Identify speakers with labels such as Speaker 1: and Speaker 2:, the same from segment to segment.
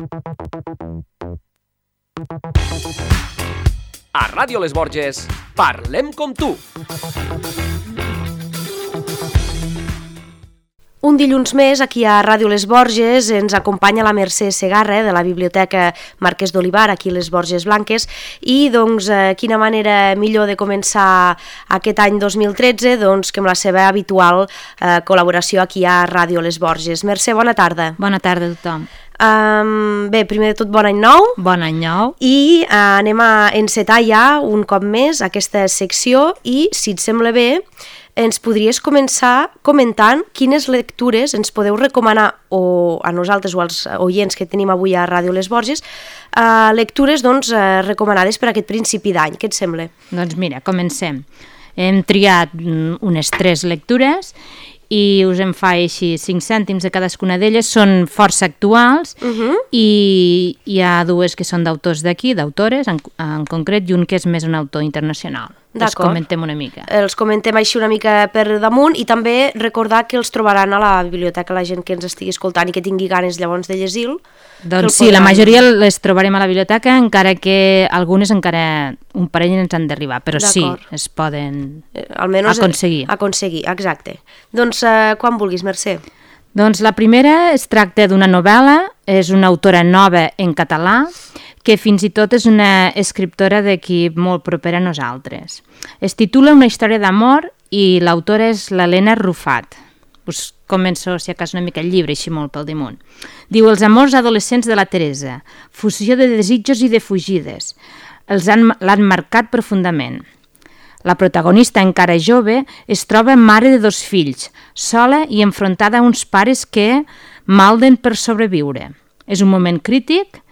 Speaker 1: A Ràdio Les Borges, parlem com tu.
Speaker 2: Un dilluns més, aquí a Ràdio Les Borges, ens acompanya la Mercè Segarra de la Biblioteca Marquès d'Olivar, aquí a Les Borges Blanques, i doncs quina manera millor de començar aquest any 2013 doncs, que amb la seva habitual col·laboració aquí a Ràdio Les Borges. Mercè, bona tarda.
Speaker 3: Bona tarda a tothom.
Speaker 2: Bé, primer de tot, bon any nou.
Speaker 3: Bon any nou.
Speaker 2: I anem a encetar ja un cop més aquesta secció i, si et sembla bé, ens podries començar comentant quines lectures ens podeu recomanar a nosaltres o als oients que tenim avui a Ràdio Les Borges, lectures doncs, recomanades per aquest principi d'any. Què et sembla?
Speaker 3: Doncs mira, comencem. Hem triat unes 3 lectures i us en fa així 5 cèntims de cadascuna d'elles. Són força actuals i hi ha 2 que són d'autors d'aquí, d'autores en concret, i un que és més un autor internacional. Els comentem una mica.
Speaker 2: Els comentem així una mica per damunt i també recordar que els trobaran a la biblioteca la gent que ens estigui escoltant i que tingui ganes llavors de llegir-lo.
Speaker 3: Doncs sí, la majoria les trobarem a la biblioteca, encara que algunes encara un parell ens han d'arribar, però sí, es poden
Speaker 2: aconseguir, exacte. Doncs quan vulguis, Mercè.
Speaker 3: Doncs la primera es tracta d'una novel·la, és una autora nova en català, que fins i tot és una escriptora d'equip molt propera a nosaltres. Es titula Una història d'amor i l'autora és l'Helena Rufat. Us començo, si acaso, una mica el llibre, així molt pel damunt. Diu: els amors adolescents de la Teresa, fusió de desitjos i de fugides, l'han marcat profundament. La protagonista, encara jove, es troba mare de 2 fills, sola i enfrontada a uns pares que malden per sobreviure. És un moment crític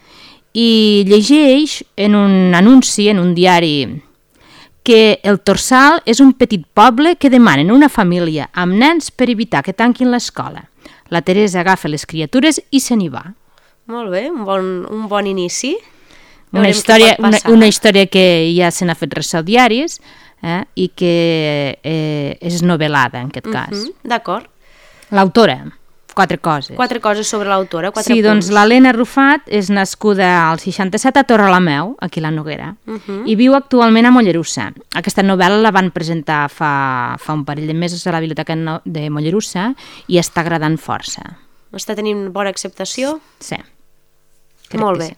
Speaker 3: i llegeix en un anunci, en un diari, que el Torsal és un petit poble que demanen una família amb nens per evitar que tanquin l'escola. La Teresa agafa les criatures i se n'hi va. Molt bé,
Speaker 2: un bon inici.
Speaker 3: Una història que ja se n'ha fet ressò diaris i que és novel·lada, en aquest cas.
Speaker 2: D'acord.
Speaker 3: L'autora. 4 coses.
Speaker 2: 4 coses sobre l'autora, 4
Speaker 3: punts. Sí, doncs l'Helena Rufat és nascuda al 67 a Torrelameu, aquí a la Noguera, i viu actualment a Mollerussa. Aquesta novel·la la van presentar fa un parell de mesos a la Biblioteca de Mollerussa i està agradant força.
Speaker 2: Està tenint bona acceptació?
Speaker 3: Sí.
Speaker 2: Molt bé.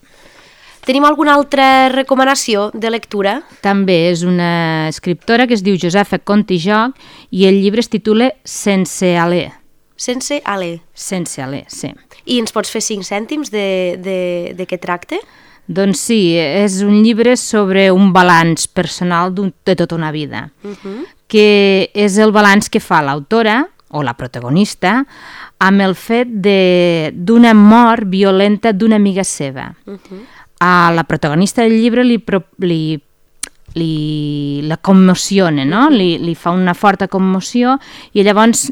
Speaker 2: Tenim alguna altra recomanació de lectura?
Speaker 3: També és una escriptora que es diu Josefa Conte i Joc i el llibre es titula Sense alè.
Speaker 2: Sense alè.
Speaker 3: Sense alè, sí.
Speaker 2: I ens pots fer 5 cèntims de què tracta?
Speaker 3: Doncs sí, és un llibre sobre un balanç personal de tota una vida, que és el balanç que fa l'autora, o la protagonista, amb el fet d'una mort violenta d'una amiga seva. A la protagonista del llibre la commociona, no? Li fa una forta commoció i llavors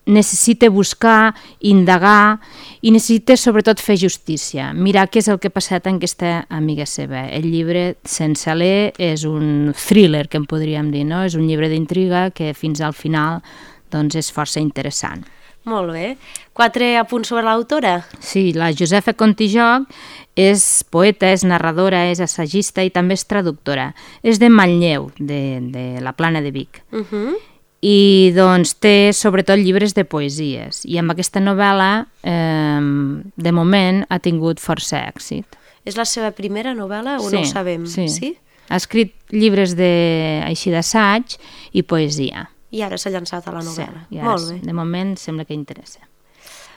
Speaker 3: necessita buscar, indagar i necessita sobretot fer justícia, mirar què és el que ha passat amb aquesta amiga seva. El llibre Sense alè és un thriller, que en podríem dir, no? És un llibre d'intriga que fins al final doncs, és força interessant.
Speaker 2: Molt bé. 4 apunts sobre l'autora?
Speaker 3: Sí, la Josefa Conte i Joc és poeta, és narradora, és assagista i també és traductora. És de Manlleu, de la Plana de Vic. I doncs té sobretot llibres de poesies i amb aquesta novel·la de moment ha tingut força èxit.
Speaker 2: És la seva primera novel·la o no ho sabem?
Speaker 3: Sí. Ha escrit llibres així d'assaig i poesia.
Speaker 2: I ara s'ha llançat a la novel·la.
Speaker 3: Sí, molt bé. De moment sembla que interessa.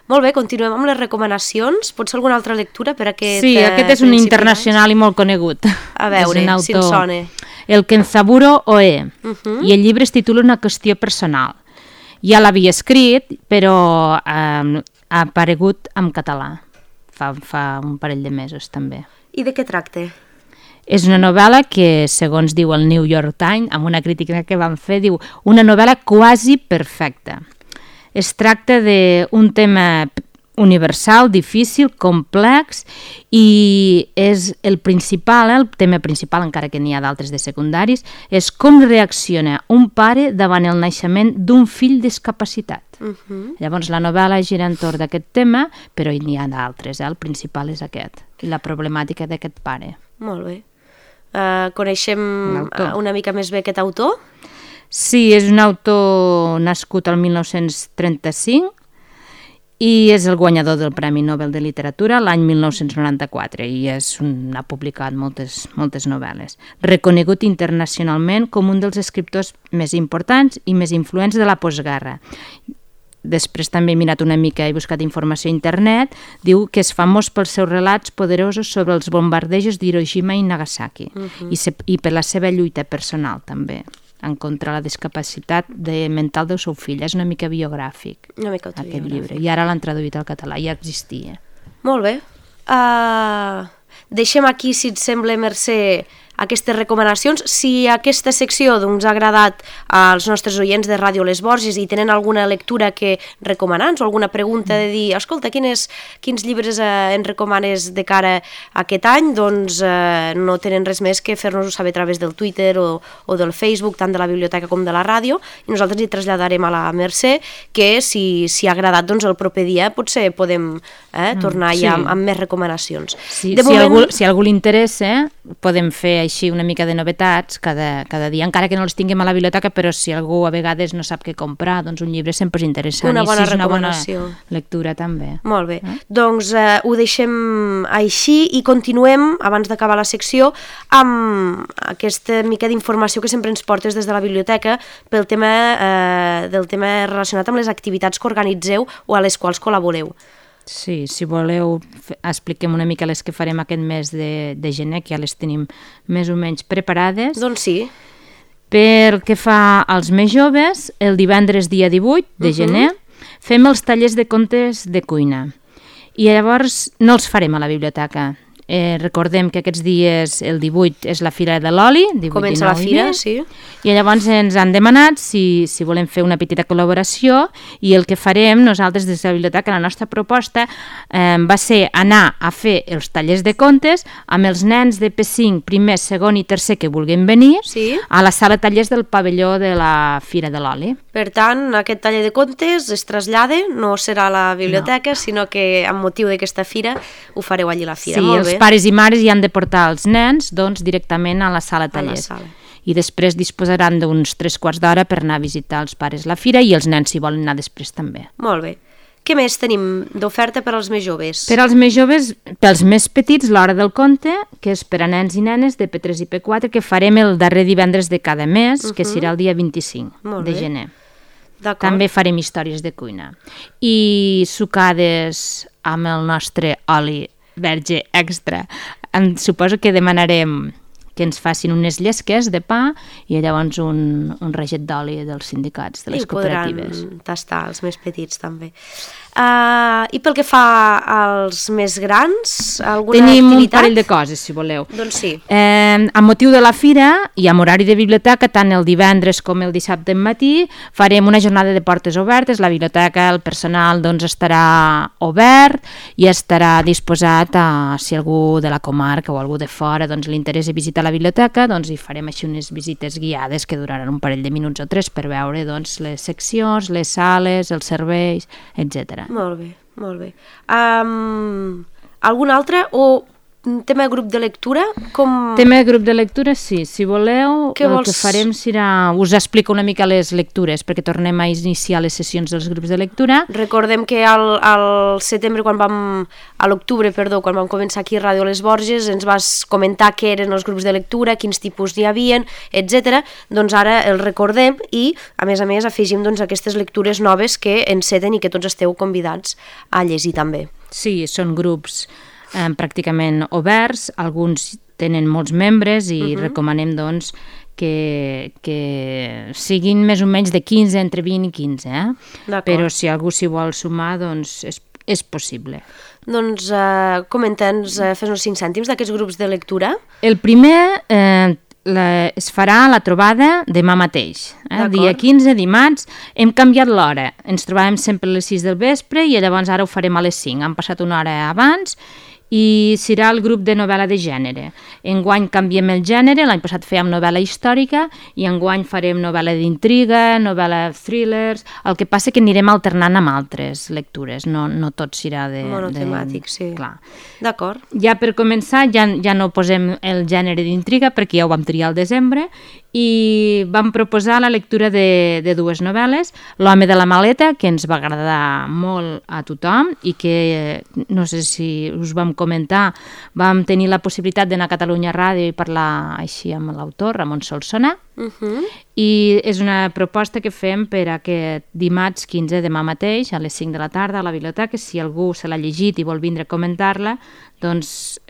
Speaker 2: Molt bé, continuem amb les recomanacions. Pot ser alguna altra lectura per aquest
Speaker 3: Sí, aquest és un internacional i molt conegut.
Speaker 2: A veure, si ens sona.
Speaker 3: El Kenzaburo Oe, i el llibre es titula Una qüestió personal. Ja l'havia escrit, però ha aparegut en català, fa un parell de mesos també.
Speaker 2: I de què tracta?
Speaker 3: És una novel·la que, segons diu el New York Times, amb una crítica que van fer, diu una novel·la quasi perfecta. Es tracta d'un tema universal, difícil, complex i és el principal, el tema principal, encara que n'hi ha d'altres de secundaris, és com reacciona un pare davant el naixement d'un fill discapacitat. Llavors la novel·la gira entorn d'aquest tema, però n'hi ha d'altres, el principal és aquest, i la problemàtica d'aquest pare.
Speaker 2: Molt bé. Coneixem una mica més bé aquest autor?
Speaker 3: Sí, és un autor nascut el 1935 i és el guanyador del Premi Nobel de Literatura l'any 1994 i ha publicat moltes novel·les. Reconegut internacionalment com un dels escriptors més importants i més influents de la postguerra. Després també he mirat una mica, he buscat informació a internet, diu que és famós pels seus relats poderosos sobre els bombardejos d'Hiroshima i Nagasaki i per la seva lluita personal també en contra la discapacitat mental del seu fill. És una mica biogràfic, aquest llibre. I ara l'han traduït al català, ja existia.
Speaker 2: Molt bé. Deixem aquí, si et sembla, Mercè, aquestes recomanacions. Si aquesta secció ha agradat als nostres oients de Ràdio Les Borges i tenen alguna lectura que recomanar-nos o alguna pregunta de dir, escolta, quins llibres ens recomanes de cara a aquest any, doncs no tenen res més que fer-nos-ho saber a través del Twitter o del Facebook, tant de la biblioteca com de la ràdio, i nosaltres hi traslladarem a la Mercè que si ha agradat, doncs el proper dia potser podem tornar ja amb més recomanacions.
Speaker 3: Si algú li interessa, podem fer així una mica de novetats cada dia, encara que no les tinguem a la biblioteca, però si algú a vegades no sap què comprar, doncs un llibre sempre és interessant.
Speaker 2: Una bona
Speaker 3: recomanació. Una bona lectura també.
Speaker 2: Molt bé. Doncs ho deixem així i continuem, abans d'acabar la secció, amb aquesta mica d'informació que sempre ens portes des de la biblioteca del tema relacionat amb les activitats que organitzeu o a les quals col·laboreu.
Speaker 3: Sí, si voleu, expliquem una mica les que farem aquest mes de gener, que ja les tenim més o menys preparades.
Speaker 2: Doncs sí.
Speaker 3: Pel que fa als més joves, el divendres dia 18 de gener fem els tallers de contes de cuina. I llavors no els farem a la biblioteca. Recordem que aquests dies, el 18, és la Fira de l'Oli.
Speaker 2: Comença la fira, sí.
Speaker 3: I llavors ens han demanat si volem fer una petita col·laboració i el que farem nosaltres des de la biblioteca, la nostra proposta va ser anar a fer els tallers de contes amb els nens de P5, primer, segon i tercer que vulguin venir a la sala de tallers del pavelló de la Fira de l'Oli.
Speaker 2: Per tant, aquest taller de contes es trasllada, no serà a la biblioteca, sinó que amb motiu d'aquesta fira ho fareu allí a la fira.
Speaker 3: Sí, els pares i mares hi han de portar els nens directament a la sala de tallers. I després disposaran d'uns 3/4 d'hora per anar a visitar els pares la fira i els nens si volen anar després també.
Speaker 2: Molt bé. Què més tenim d'oferta per als més joves?
Speaker 3: Per als més joves, pels més petits, l'Hora del Conte, que és per a nens i nenes de P3 i P4, que farem el darrer divendres de cada mes, que serà el dia 25 de gener. També farem històries de cuina. I sucades amb el nostre oli verge extra. Suposo que demanarem que ens facin unes llesques de pa i llavors un reget d'oli dels sindicats, de les cooperatives.
Speaker 2: I podran tastar els més petits també. I pel que fa als més grans, alguna activitat?
Speaker 3: Tenim un parell de coses, si voleu.
Speaker 2: Doncs sí.
Speaker 3: Amb motiu de la fira i amb horari de biblioteca, tant el divendres com el dissabte en matí, farem una jornada de portes obertes. La biblioteca, el personal, estarà obert i estarà disposat si algú de la comarca o algú de fora li interessa visitar la biblioteca, hi farem així unes visites guiades que duraran un parell de minuts o 3 per veure les seccions, les sales, els serveis, etc.
Speaker 2: Molt bé, molt bé. Algun altre o tema de grup de lectura?
Speaker 3: Tema de grup de lectura, sí. Si voleu, el que farem serà... Us explico una mica les lectures, perquè tornem a iniciar les sessions dels grups de lectura.
Speaker 2: Recordem que al setembre, a l'octubre, quan vam començar aquí a Ràdio Les Borges, ens vas comentar què eren els grups de lectura, quins tipus n'hi havia, etc. Doncs ara els recordem i, a més, afegim aquestes lectures noves que enceten i que tots esteu convidats a llegir també.
Speaker 3: Sí, són grups pràcticament oberts, alguns tenen molts membres i recomanem que siguin més o menys de 15, entre 20 i 15, però si algú s'hi vol sumar, és possible.
Speaker 2: Doncs comenta'ns, fes-nos 5 cèntims d'aquests grups de lectura.
Speaker 3: El primer, es farà la trobada demà mateix, dia 15, dimarts. Hem canviat l'hora, ens trobàvem sempre a les 6 del vespre i llavors ara ho farem a les 5, han passat una hora abans, i serà el grup de novel·la de gènere. Enguany canviem el gènere, l'any passat fèiem novel·la històrica i enguany farem novel·la d'intriga, novel·la thrillers, el que passa que anirem alternant amb altres lectures, no tot serà de...
Speaker 2: monotemàtic, sí.
Speaker 3: Clar.
Speaker 2: D'acord.
Speaker 3: Ja per començar, ja no posem el gènere d'intriga perquè ja ho vam triar al desembre i vam proposar la lectura de dues novel·les, L'home de la maleta, que ens va agradar molt a tothom i que, no sé si us vam comentar, vam tenir la possibilitat d'anar a Catalunya Ràdio i parlar així amb l'autor, Ramon Solsona, i és una proposta que fem per aquest dimarts 15 demà mateix a les 5 de la tarda a la biblioteca. Si algú se l'ha llegit i vol vindre a comentar-la, doncs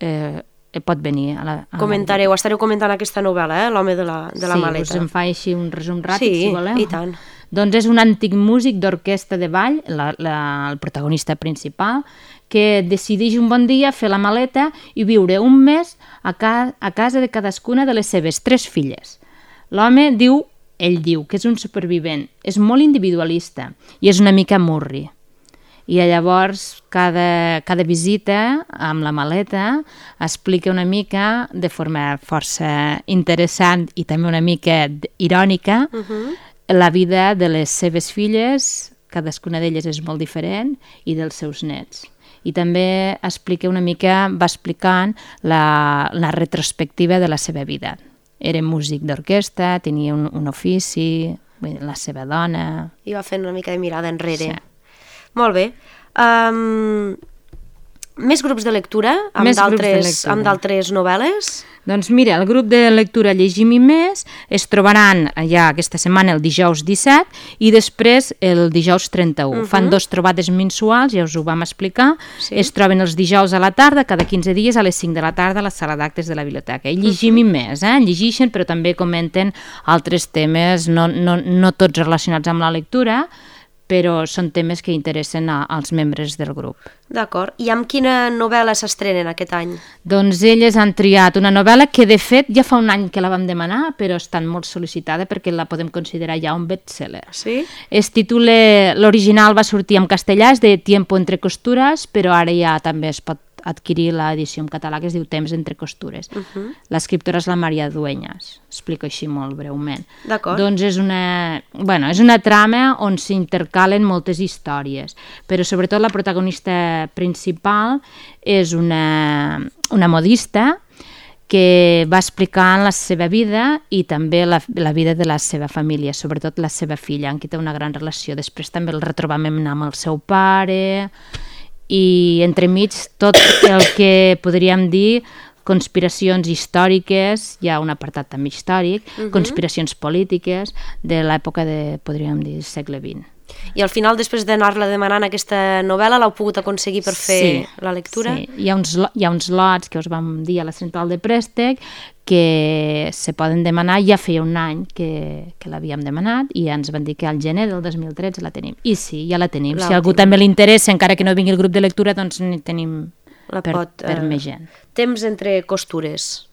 Speaker 3: pot venir a la...
Speaker 2: Comentareu, estareu comentant aquesta novel·la, L'home de la maleta.
Speaker 3: Sí, us en fa així un resum ràpid, si voleu.
Speaker 2: Sí, i tant.
Speaker 3: Doncs és un antic músic d'orquestra de ball, el protagonista principal, que decideix un bon dia fer la maleta i viure un mes a casa de cadascuna de les seves 3 filles. L'home ell diu que és un supervivent, és molt individualista i és una mica murri. I llavors cada visita amb la maleta explica una mica de forma força interessant i també una mica irònica la vida de les seves filles, cadascuna d'elles és molt diferent, i dels seus nets. I també va explicant la retrospectiva de la seva vida. Era músic d'orquestra, tenia un ofici, la seva dona...
Speaker 2: I va fent una mica de mirada enrere.
Speaker 3: Sí.
Speaker 2: Molt bé. Més grups de lectura amb d'altres novel·les?
Speaker 3: Doncs mira, el grup de lectura Llegim i Més es trobaran ja aquesta setmana el dijous 17 i després el dijous 31. Fan 2 trobades mensuals, ja us ho vam explicar. Sí. Es troben els dijous a la tarda, cada 15 dies a les 5 de la tarda a la sala d'actes de la biblioteca. I Llegim i Més, llegeixen però també comenten altres temes, no tots relacionats amb la lectura, però són temes que interessen als membres del grup.
Speaker 2: D'acord. I amb quina novel·la s'estrenen aquest any? Doncs
Speaker 3: elles han triat una novel·la que, de fet, ja fa un any que la vam demanar, però està molt sol·licitada perquè la podem considerar ja un bestseller.
Speaker 2: Sí?
Speaker 3: L'original va sortir en castellà, és de Tiempo entre costures, però ara ja també es pot adquirir l'edició en català que es diu Temps entre costures. L'escriptora és la Maria Dueñas, explico així molt breument.
Speaker 2: D'acord.
Speaker 3: Doncs és una trama on s'intercalen moltes històries, però sobretot la protagonista principal és una modista que va explicant la seva vida i també la vida de la seva família, sobretot la seva filla, amb qui té una gran relació. Després també el retrobament amb el seu pare... i entremig tot el que podríem dir conspiracions històriques, hi ha un apartat també històric, conspiracions polítiques de l'època podríem dir, segle XX.
Speaker 2: I al final, després d'anar-la demanant aquesta novel·la, l'heu pogut aconseguir per fer la lectura?
Speaker 3: Sí, hi ha uns lots que us vam dir a la central de préstec que se poden demanar. Ja feia un any que l'havíem demanat i ens van dir que al gener del 2013 la tenim. I sí, ja la tenim. Si a algú també li interessa, encara que no vingui el grup de lectura, doncs n'hi tenim per més gent.
Speaker 2: Temps entre costures.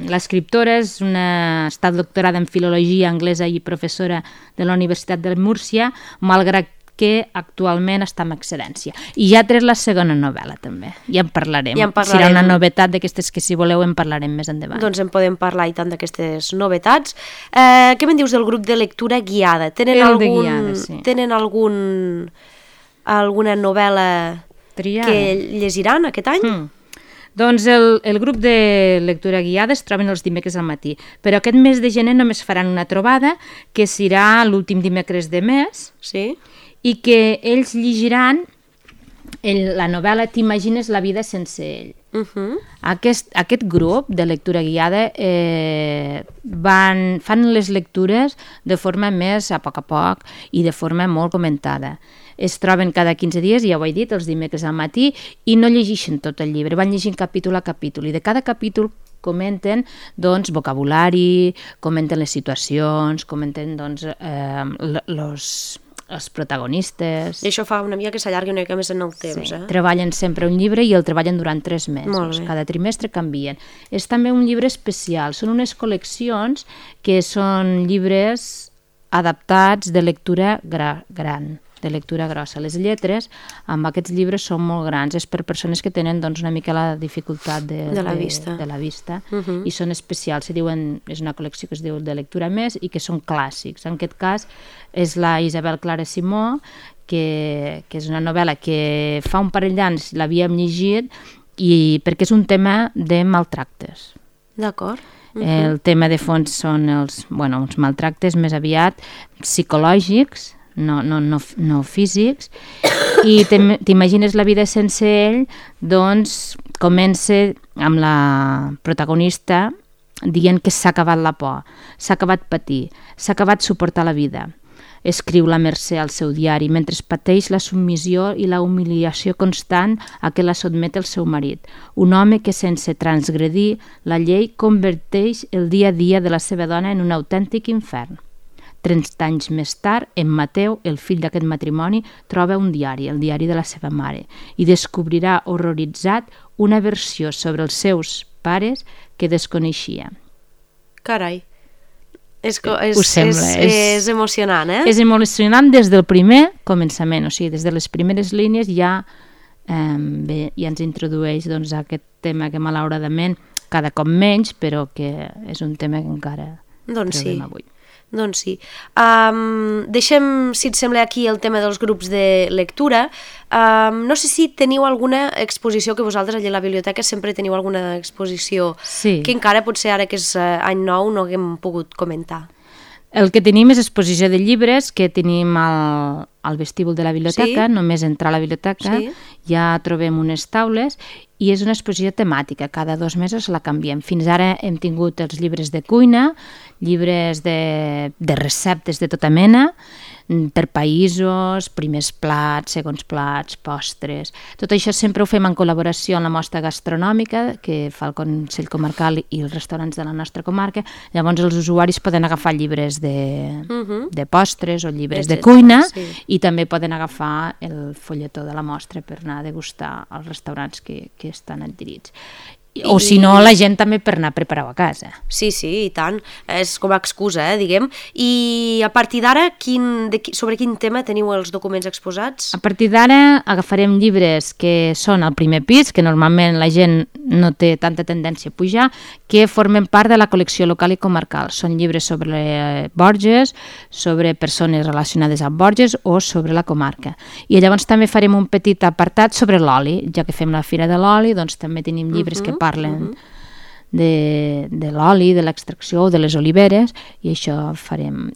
Speaker 3: L'escriptora està doctorada en filologia anglesa i professora de la Universitat de Múrcia, malgrat que actualment està en excedència. I ja ha tret la segona novel·la també. Ja en parlarem. Serà una novetat d'aquestes que, si voleu, en parlarem més endavant.
Speaker 2: Doncs en podem parlar i tant d'aquestes novetats. Què me'n dius del grup de lectura guiada? Tenen alguna novel·la que llegiran aquest any?
Speaker 3: Doncs el grup de lectura guiada es troben els dimecres al matí, però aquest mes de gener només faran una trobada, que serà l'últim dimecres de mes, i que ells llegiran la novel·la T'imagines la vida sense ell. Aquest grup de lectura guiada fan les lectures de forma més a poc i de forma molt comentada. Es troben cada 15 dies, ja ho he dit, els dimecres al matí, i no llegeixen tot el llibre, van llegint capítol a capítol, i de cada capítol comenten vocabulari, comenten les situacions, comenten els protagonistes.
Speaker 2: I això fa una mica que s'allargui una mica més en el temps.
Speaker 3: Sí. Treballen sempre un llibre i el treballen durant 3 mesos. Cada trimestre canvien. És també un llibre especial. Són unes col·leccions que són llibres adaptats de lectura gran, de lectura grossa. Les lletres amb aquests llibres són molt grans. És per persones que tenen doncs, una mica la dificultat de la vista i són especials. És una col·lecció que es diu de lectura més i que són clàssics. En aquest cas és la Isabel Clara Simó, que és una novel·la que fa un parell d'anys l'havíem llegit perquè és un tema de maltractes.
Speaker 2: D'acord.
Speaker 3: El tema de fons són uns maltractes més aviat psicològics, no físics, i t'imagines la vida sense ell, doncs comença amb la protagonista dient que s'ha acabat la por, s'ha acabat patir, s'ha acabat suportar la vida. Escriu la Mercè al seu diari mentre pateix la submissió i la humiliació constant a què la sotmet el seu marit, un home que sense transgredir la llei converteix el dia a dia de la seva dona en un autèntic infern. 30 anys més tard, en Mateu, el fill d'aquest matrimoni, troba un diari, el diari de la seva mare, i descobrirà horroritzat una versió sobre els seus pares que desconeixia.
Speaker 2: Carai. És emocionant, eh?
Speaker 3: És emocionant des del primer començament, o sigui, des de les primeres línies ja ens introdueix a aquest tema que malauradament cada cop menys, però que és un tema que encara trobem avui.
Speaker 2: Doncs sí. Deixem, si et sembla, aquí el tema dels grups de lectura. No sé si teniu alguna exposició, que vosaltres allà a la biblioteca sempre teniu alguna exposició que encara potser ara que és any nou no haguem pogut comentar.
Speaker 3: El que tenim és exposició de llibres que tenim al vestíbul de la biblioteca, només entrar a la biblioteca ja trobem unes taules i és una exposició temàtica, cada 2 mesos la canviem. Fins ara hem tingut els llibres de cuina, llibres de receptes de tota mena, per països, primers plats, segons plats, postres. Tot això sempre ho fem en col·laboració amb la mostra gastronòmica que fa el Consell Comarcal i els restaurants de la nostra comarca. Llavors els usuaris poden agafar llibres de postres o llibres de cuina i també poden agafar el folletó de la mostra per anar a degustar als restaurants que estan adherits. O si no, la gent també per anar a preparar-ho a casa.
Speaker 2: Sí, i tant. És com a excusa, diguem. I a partir d'ara, sobre quin tema teniu els documents exposats?
Speaker 3: A partir d'ara agafarem llibres que són al primer pis, que normalment la gent no té tanta tendència a pujar, que formen part de la col·lecció local i comarcal. Són llibres sobre Borges, sobre persones relacionades amb Borges o sobre la comarca. I llavors també farem un petit apartat sobre l'oli. Ja que fem la Fira de l'Oli, doncs també tenim llibres que parlen de l'oli, de l'extracció o de les oliveres, i això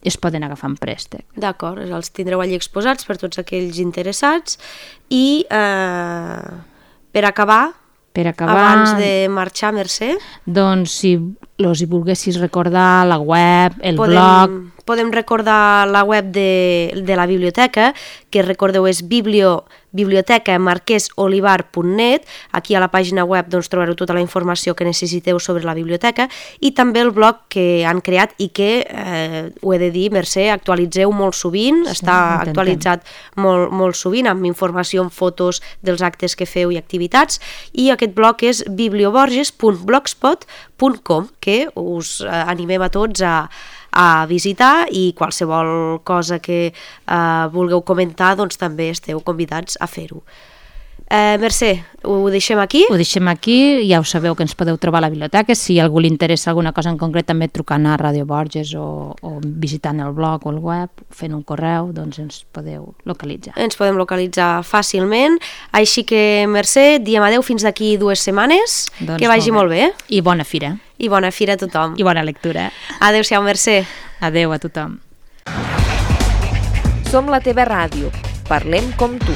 Speaker 3: es poden agafar en préstec.
Speaker 2: D'acord, els tindreu allí exposats per tots aquells interessats. I per acabar, abans de marxar, Mercè,
Speaker 3: doncs si hi volguessis recordar la web, el blog...
Speaker 2: Podem recordar la web de la biblioteca, que recordeu és bibliotecamarquesolivar.net. Aquí a la pàgina web trobareu tota la informació que necessiteu sobre la biblioteca i també el blog que han creat i que, ho he de dir, Mercè, actualitzeu molt sovint, està actualitzat molt sovint amb informació, amb fotos dels actes que feu i activitats, i aquest blog és biblioborges.blogspot.com, que us animem a tots a visitar, i qualsevol cosa que vulgueu comentar també esteu convidats a fer-ho. Mercè, ho deixem aquí?
Speaker 3: Ho deixem aquí, ja ho sabeu que ens podeu trobar a la biblioteca. Si a algú li interessa alguna cosa en concret, també trucant a Ràdio Borges o visitant el blog o el web, fent un correu, doncs ens podeu localitzar.
Speaker 2: Ens podem localitzar fàcilment. Així que, Mercè, diem adeu fins d'aquí 2 setmanes. Que vagi molt bé.
Speaker 3: I bona fira.
Speaker 2: I bona fira a tothom.
Speaker 3: I bona lectura.
Speaker 2: Adéu-siau, Mercè.
Speaker 3: Adéu a tothom.
Speaker 1: Som la teva ràdio. Parlem com tu.